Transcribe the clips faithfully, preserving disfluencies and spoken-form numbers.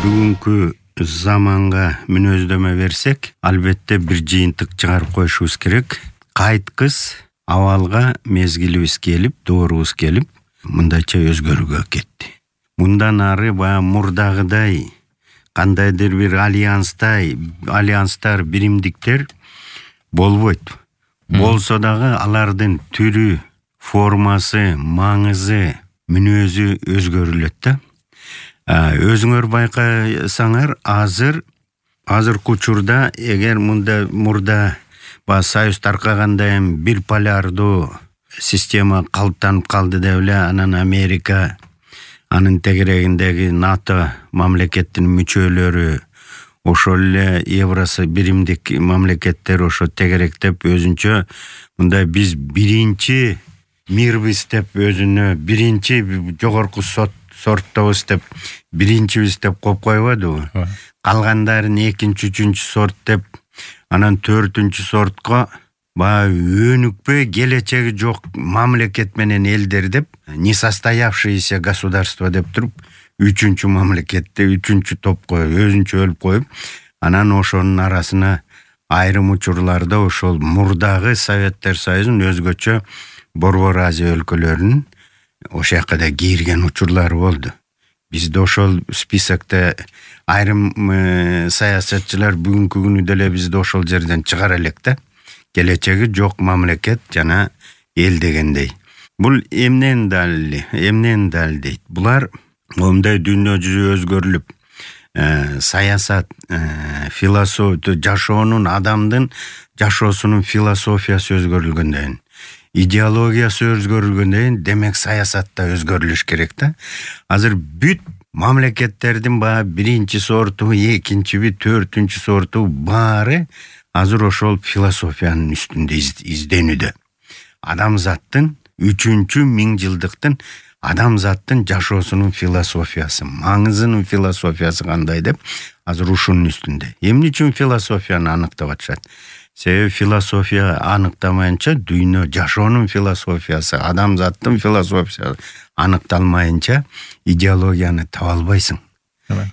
бүгүнкү заманга мүнөздөмө берсек, албетте бир жыйынтык чыгарып коюшубуз керек. Кайткыс абалга мезгилибиз келип, доорубуз келип, мындайча өзгөрүүгө кетти. Мындан ары баягы мурдагыдай кандайдыр бир альянстай, альянстар, биримдиктер болбойт. Болсо дагы алардын түрү, формасы, маңызы, мүнөзү өзгөрүлөт да. Өзүңөр байкасаңар, азыр азыркы учурда эгер мында мурда ба Союз таркаганда эми бир полярдуу система калыптанып калды деп эле, анан Америка, анын тегерегиндеги НАТО мамлекеттин мүчөлөрү, ошол эле Евросы биримдик мамлекеттер ошо тегеректеп өзүнчө мындай биз биринчи мирбиз деп өзүнө биринчи жогорку сот сорттобуз деп биринчибиз деп коюп койбодубу? Калгандарын экинчи, үчүнчү сорт деп, анан төртүнчү сортко баягы өнүкпөй келечеги жок мамлекет менен элдер деп, несостоявшиеся государство деп туруп, үчүнчү мамлекетте, үчүнчү топко өзүнчө өлүп коюп, анан ошонун арасына айрым учурларда ошол мурдагы Советтер Союзунун өзгөчө Борбор Азия өлкөлөрүнүн ошол жака да кирген учурлары болду. Бизде ошол списокто айрым саясатчылар бүгүнкү күнү деле бизди ошол жерден чыгара элек да. Келечеги жок мамлекет жана эл дегендей. Бул эмнен далили, эмнен далилдейт? Булар момундай дүйнө жүзү өзгөрүлүп, саясат, философия, жашоонун, адамдын жашоосунун философиясы өзгөрүлгөндөн, идеологиясы өзгөрүлгөндөн, демек саясат да өзгөрүлүш керек да. Азыр бүт мамлекеттердин баягы биринчи сорту, экинчиби, төртүнчү сорту баары азыр ошол философиянын үстүндө изденүүдө. Адамзаттын үчүнчү миң жылдыктын адамзаттын жашоосунун философиясы, маңызынын философиясы кандай деп азыр ушунун үстүндө. Эмне үчүн философияны аныктап атышат? Себеби философия аныктамайынча дүйнө жашоонун философиясы, адамзаттын философиясы аныкталмайынча идеологияны таба албайсың.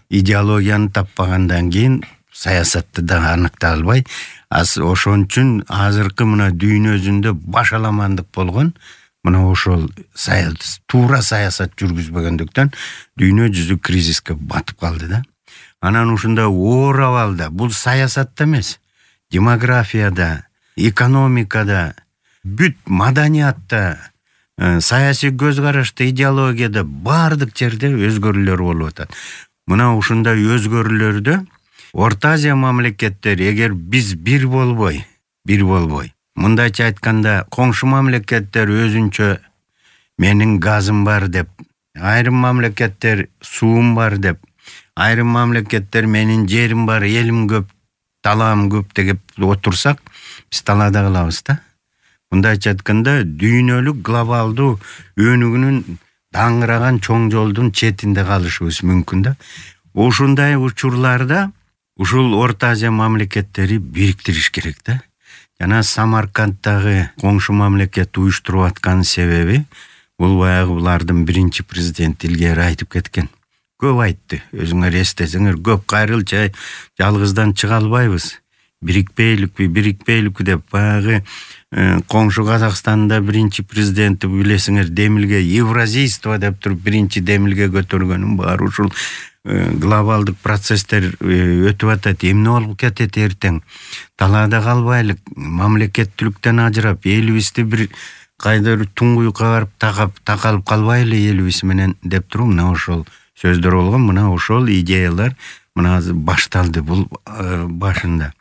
Идеологияны таппагандан кийин саясатты да аныкта албай, ошон үчүн азыркы мына дүйнө жүзүндө башаламандык болгон мына ошол туура саясат жүргүзбөгөндүктөн дүйнө жүзү кризиске батып калды да. Анан ушундай оор абалда бул саясатта эмес, демографияда, экономикада, бүт маданиятта, саясий көз карашта, идеологияда баардык жерде өзгөрүүлөр болуп атат. Мына ушундай өзгөрүүлөрдө Орто Азия мамлекеттери эгер биз бир болбой, бир болбой, мындайча айтканда коңшу мамлекеттер өзүнчө менин газым бар деп, айрым мамлекеттер суум бар деп, айрым мамлекеттер менин жерим бар, элим көп, талаам көп деп отурсак, биз талаада калабыз да. Мындайча айтканда дүйнөлүк глобалдуу өнүгүүнүн даңгыраган чоң жолдун четинде калышыбыз мүмкүн да. Ушундай учурларда ушул Орто Азия мамлекеттери бириктириш керек да. Жана Самаркандтагы коңшу мамлекет уюштуруп аткан себеби бул баягы булардын биринчи президенти илгери айтып кеткен. Көп айтты, өзүңөр эстесеңер, көп кайрылча жалгыздан чыга албайбыз. Бирикпейликпи, бирикпейликпи деп баягы коңшу Казакстанда биринчи президенти билесиңер демилге евразийство деп туруп биринчи демилге көтөргөнүн баары ушул глобалдык процесстер өтүп атат. Эмне болуп кетет эртең? Талаада калбайлык, мамлекеттүүлүктөн ажырап, элибизди бир кайдыр туңгуюкка барып такап такалып калбайлы элибиз менен деп туруп мына ошол сөздөр болгон. Мына ошол идеялар мына башталды бул башында.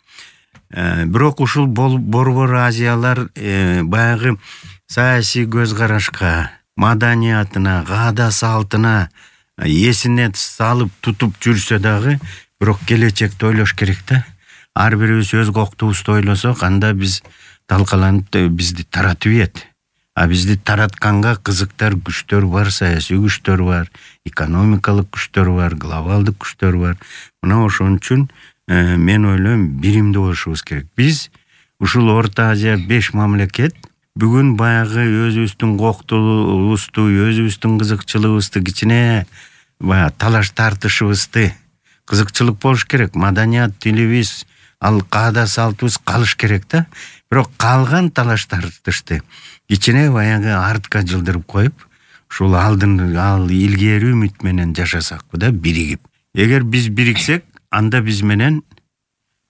Бирок ушул Борбор Азиялар баягы саясий көз карашка, маданиятына, каада салтына эсине салып тутуп жүрсө дагы, бирок келечекти ойлош керек да. Ар бирибиз өз коктубузду ойлосок, анда биз талкаланып бизди таратып ийет. А бизди таратканга кызыктар күчтөр бар, саясий күчтөр бар, экономикалык күчтөр бар, глобалдык күчтөр бар. Мына ошон үчүн мен ойлойм биримдүү болушубуз керек. Биз ушул Орто Азия беш мамлекет бүгүн баягы өзүбүздүн коктубузду, өзүбүздүн кызыкчылыгыбызды, кичине баягы талаш тартышыбызды кызыкчылык болуш керек, маданият, тилибиз, ал каада салтыбыз калыш керек да. Бирок калган талаш-тартышты кичине баягы артка жылдырып коюп, ушул алдын ал илгери үмүт менен жашасакпы да, биригип. Эгер биз бириксек, анда биз менен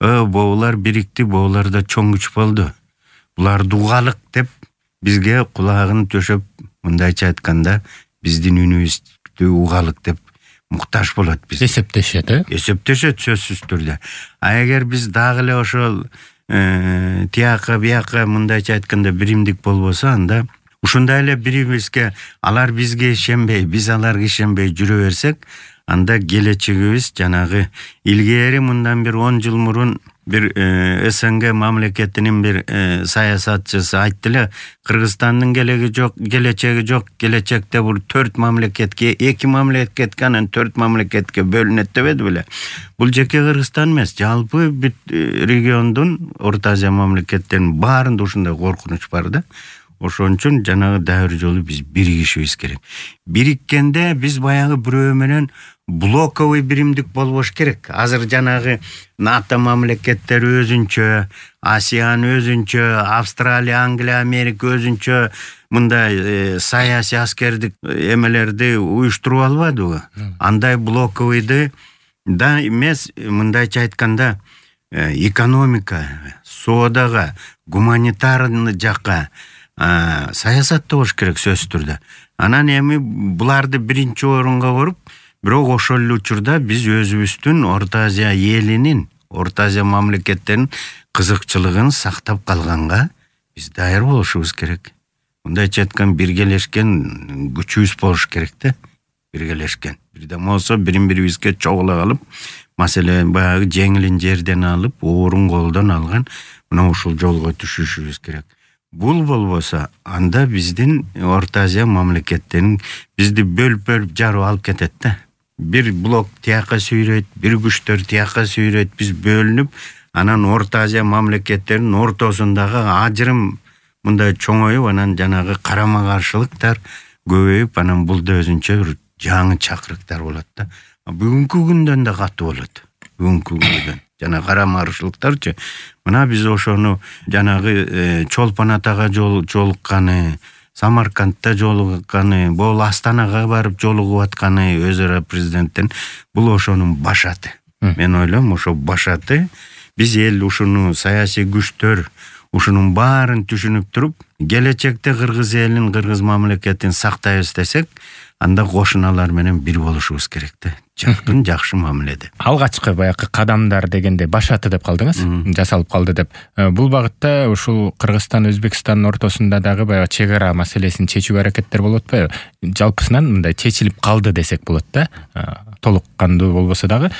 Ö, боолар бирикти, боолар да чоң күч болду. Буларды угалык деп бизге кулагын төшөп, мындайча айтканда, биздин үнүбүздү угалык деп муктаж болот биз. Эсептешет, э? Эсептешет сөзсүз түрдө. А эгер биз дагы эле ошол тияка бияка мындайча айтканда биримдик болбосо, анда ушундай эле бири-бирибизге, алар бизге ишенбей, биз аларга ишенбей жүрө берсек, анда келечегибиз жанагы илгери мындан бир он жыл мурун бир СНГ мамлекетинин бир саясатчысы айтты эле, Кыргызстандын келеги жок, келечеги жок, келечекте бул төрт мамлекетке, эки мамлекетке, анан төрт мамлекетке бөлүнөт дебеди беле. Бул жеке Кыргызстан эмес, жалпы бүт региондун, Орто Азия мамлекеттеринин баарында ушундай коркунуч бар да. Ошон үчүн жанагы дайыр жолу биз биригишибиз керек. Бириккенде биз баягы бирөө менен блоковый биримдик болбош керек. Азыр жанагы НАТО мамлекеттери өзүнчө, АСЕАН өзүнчө, Австралия, Англия, Америка өзүнчө мындай саясий аскердик эмелерди уюштуруп албадыбы? Андай блоковыйды да эмес, мындайча айтканда, экономика, соодага, гуманитарный жакка саясатта болуш керек сөзсүз түрдө. Анан эми буларды биринчи орунга коюп, бирок ошол эле учурда биз өзүбүздүн Орто Азия элинин, Орто Азия мамлекеттеринин кызыкчылыгын сактап калганга биз дайыр болушубуз керек. Мындайча айткан биргелешкен күчүбүз болуш керек да, биргелешкен. Бирден болсо бирин-бирибизге чогула калып, маселе баягы жеңилин жерден алып, оорун колдон алган мына ушул жолго түшүшүбүз керек. Бул болбосо, анда биздин Орто Азия мамлекеттерин бизди бөлүп-бөлүп жарып алып кетет да. Бир блок тияка сүйрөйт, бир күчтөр тияка сүйрөйт, биз бөлүнүп, анан Орто Азия мамлекеттеринин ортосундагы ажырым мындай чоңоюп, анан жанагы карама-каршылыктар көбөйүп, анан бул да өзүнчө бир жаңы чакырыктар болот да. Бүгүнкү күндөн да катуу болот. Бүгүнкү күндөн жана карама-каршылыктарчы. Мына биз ошону жанагы Чолпон Атага жолукканы, Самаркандта жолукканы, бул Астанага барып жолугуп атканы өз ара президенттин, бул ошонун башаты. Мен ойлойм, ошо башаты. Биз эл ушуну саясий күчтөр ушунун баарын түшүнүп туруп, келечекте Кыргыз элин, Кыргыз мамлекетин сактайбыз десек, анда кошуналар менен бир болушубуз керек да. Жакын, жакшы мамиледе. Алгачкы баягы кадамдар дегенде башаты деп калдыңыз, жасалып калды деп. Бул багытта ушул Кыргызстан, Өзбекстандын ортосунда дагы баягы чек ара маселесин чечүүгө аракеттер болуп атпайбы? Жалпысынан мындай чечилип калды десек болот да. Толук кандуу болбосо дагы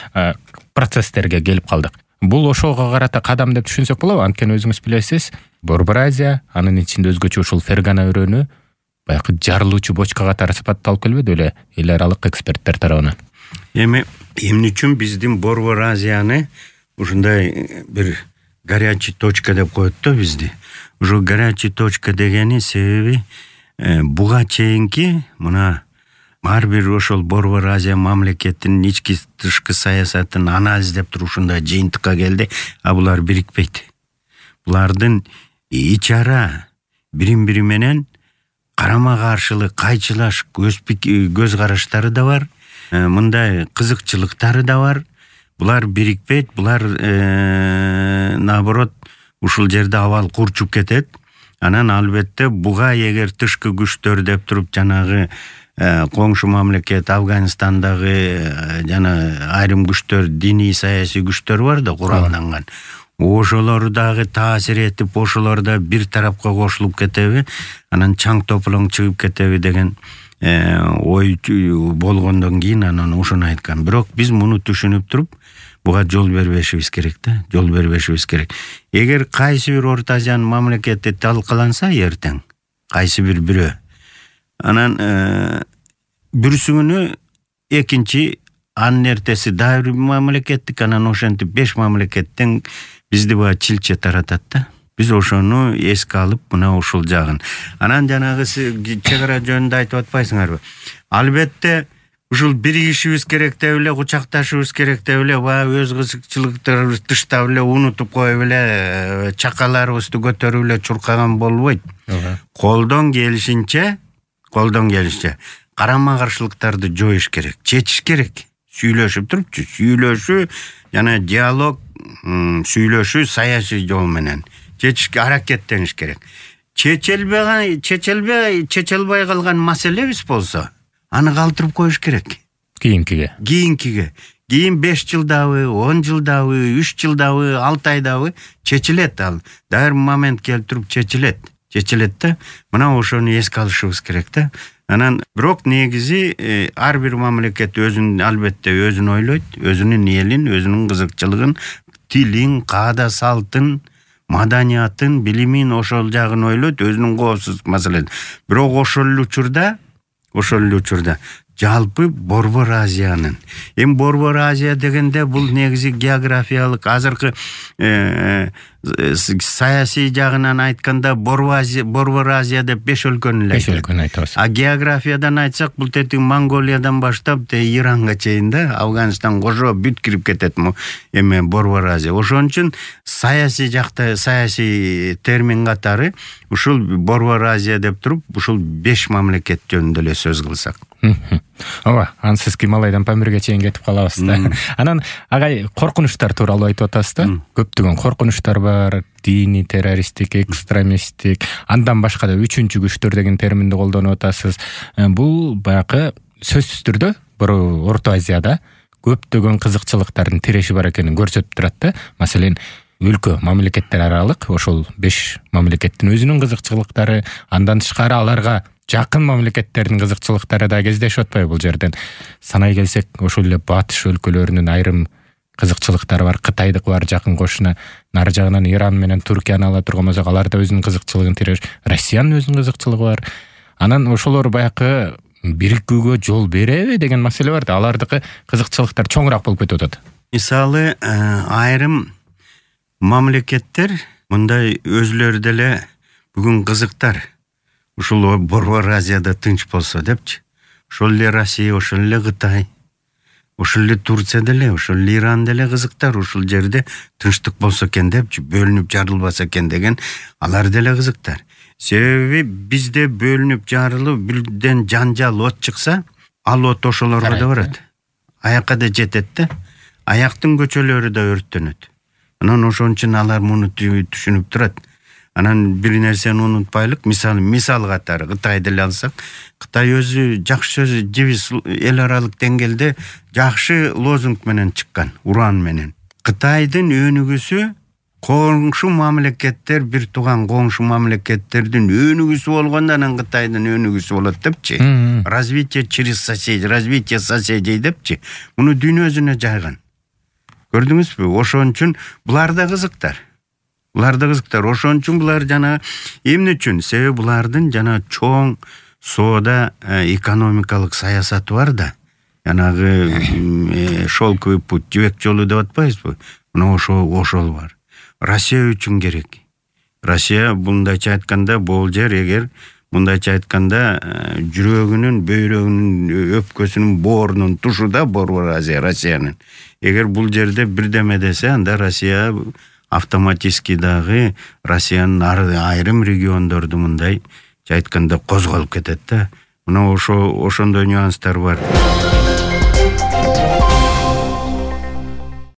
процесстерге келип калдык. Бул ошого карата кадам деп түшүнсөк болобу? Анткени өзүңүз билесиз, Борбор Азия, анын ичинде өзгөчө ушул Фергана өрөөнү баягы жарылуучу бочка катары сыпатталып келбеди беле эл аралык эксперттер тарабынан? Эми эмне үчүн биздин Борбор Азияны ушундай бир горячий точка деп коет да бизди. Ушул горячий точка дегени себеби буга чейинки мына ар бир ошол Борбор Азия мамлекетинин ички тышкы саясатын анализдеп туруп ушундай жыйынтыкка келди, а булар бирикпейт. Булардын ич ара бирин-бири менен карама-каршылык, кайчылаш көз караштары да бар, мындай кызыкчылыктары да бар. Булар бирикпейт, булар наоборот ушул жерде абал курчуп кетет. Анан албетте буга эгер тышкы күчтөр деп туруп жанагы коңшу мамлекет Афганистандагы жана айрым күчтөр, диний саясий күчтөр бар да куралданган. Ошолор дагы таасир этип, ошолор да бир тарапка кошулуп кетеби, анан чаң тополоң чыгып кетеби деген ой болгондон кийин анан ошону айткан. Бирок биз муну түшүнүп туруп, буга жол бербешибиз керек да, жол бербешибиз керек. Эгер кайсы бир Орто Азиянын мамлекети талкаланса эртең, кайсы бир бирөө, анан бүрсүңүнү экинчи анын эртеси дагы бир мамлекеттик, анан ошентип беш мамлекеттен бизди баа чилче таратат да. Биз ошону эске алып, мына ушул жагын. Анан жанагы чек ара жөнүндө айтып атпайсыңарбы? Албетте ушул биригишибиз керек деп эле, кучакташыбыз керек деп эле, баягы өз кызыкчылыктарыбызды тыштап эле, унутуп коюп эле, чакаларыбызды көтөрүп эле чуркаган болбойт. Колдон келишинче, колдон келишинче карама каршылыктарды жоюш керек, чечиш керек. Сүйлөшүп турупчу, сүйлөшүү жана диалог, сүйлөшүү саясий жол менен чечишке аракеттениш керек. Чечелбеген, чечелбей, чечелбей калган маселебиз болсо, аны калтырып коюш керек. Кийинкиге. Кийинкиге. Кийин беш жылдабы, он жылдабы, үч жылдабы, алты айдабы чечилет ал. Дайыр момент келип туруп чечилет. Чечилет да, мына ошону эске алышыбыз керек да. Анан бирок негизи ар бир мамлекет өзүн албетте өзүн ойлойт, өзүнүн элин, өзүнүн кызыкчылыгын, тилин, каада салтын, маданиятын, билимин ошол жагын ойлойт, өзүнүн коопсуздук маселесин. Бирок ошол эле учурда, ошол эле учурда жалпы Борбор Азиянын. Эми Борбор Азия дегенде бул негизи географиялык азыркы саясий жагынан айтканда Борбор Азия деп беш өлкөнү эле беш өлкөнү айтабыз. А географиядан айтсак, бул тетиң Монголиядан баштап те Иранга чейин да, Афганистан кошо бүт кирип кетет эме Борбор Азия. Ошон үчүн саясий жакта, саясий термин катары ушул Борбор Азия деп туруп, ушул беш мамлекет жөнүндө эле сөз кылсак. Ооба, ансыз Гималайдан Памирге чейин кетип калабыз да. Анан агай коркунучтар тууралуу айтып атасыз да. Көптөгөн коркунучтар бар, диний, террористтик, экстремисттик, андан башка да үчүнчү күчтөр деген терминди колдонуп атасыз. Бул баягы сөзсүз түрдө Орто Азияда көптөгөн кызыкчылыктардын тиреши бар экенин көрсөтүп турат да. Маселен, өлкө мамлекеттер аралык ошол беш мамлекеттин өзүнүн кызыкчылыктары, андан тышкары аларга жакын мамлекеттердин кызыкчылыктары да кездешип атпайбы бул жерден? Санай келсек, ошол эле батыш өлкөлөрүнүн айрым кызыкчылыктары бар, Кытайдык бар жакын кошуна, нары жагынан Иран менен Туркияны ала турган болсок, алар да өзүнүн кызыкчылыгын тиреш, Россиянын өзүнүн кызыкчылыгы бар. Анан ошолор баягы бирикүүгө жол береби деген маселе бар да, алардыкы кызыкчылыктар чоңураак болуп кетип атат. Мисалы, айрым мамлекеттер мындай өзүлөрү деле бүгүн кызыктар. Ушул Борбор Азияда тынч болсо депчи. Ошол эле Россия, ошол эле Кытай, ошол эле Турция деле, ошол эле Иран деле кызыктар. Ушул жерде тынчтык болсо экен депчи, бөлүнүп жарылбаса экен деген алар деле кызыктар. Себеби бизде бөлүнүп жарылып, бирден жанжал, от чыкса, ал от ошолорго да барат. Аякка да жетет да. Аяктын көчөлөрү да өрттөнөт. Анан ошон үчүн алар муну түшүнүп турат. Анан бир нерсени унутпайлык, мисалы, мисал катары Кытайды эле алсак, Кытай өзү жакшы сөз, жибис эл аралык деңгээлде жакшы лозунг менен чыккан, уран менен. Кытайдын өнүгүүсү коңшу мамлекеттер, бир тууган коңшу мамлекеттердин өнүгүүсү болгондо анан Кытайдын өнүгүүсү болот депчи. Развитие через соседей, развитие соседей депчи. Муну дүйнөсүнө жайган. Көрдүңүзбү? Ошон үчүн булар да кызыктар. Булар да кызыктар. Ошон үчүн булар жана эмне үчүн? Себеби булардын жана чоң соода экономикалык саясаты бар да. Жанагы шелковый путь, жибек жолу деп атпайбызбы? Мына ошол ошол бар. Россия үчүн керек. Россия мындайча айтканда бул жер, эгер мындайча айтканда жүрөгүнүн, бөйрөгүнүн, өпкөсүнүн боорунун тушу да Борбор Азия Россиянын. Эгер бул жерде бирдеме десе, анда Россия автоматически дагы Россиянын айрым региондорду мындай айтканда козголуп кетет да. Мына ошо ошондой нюанстар бар.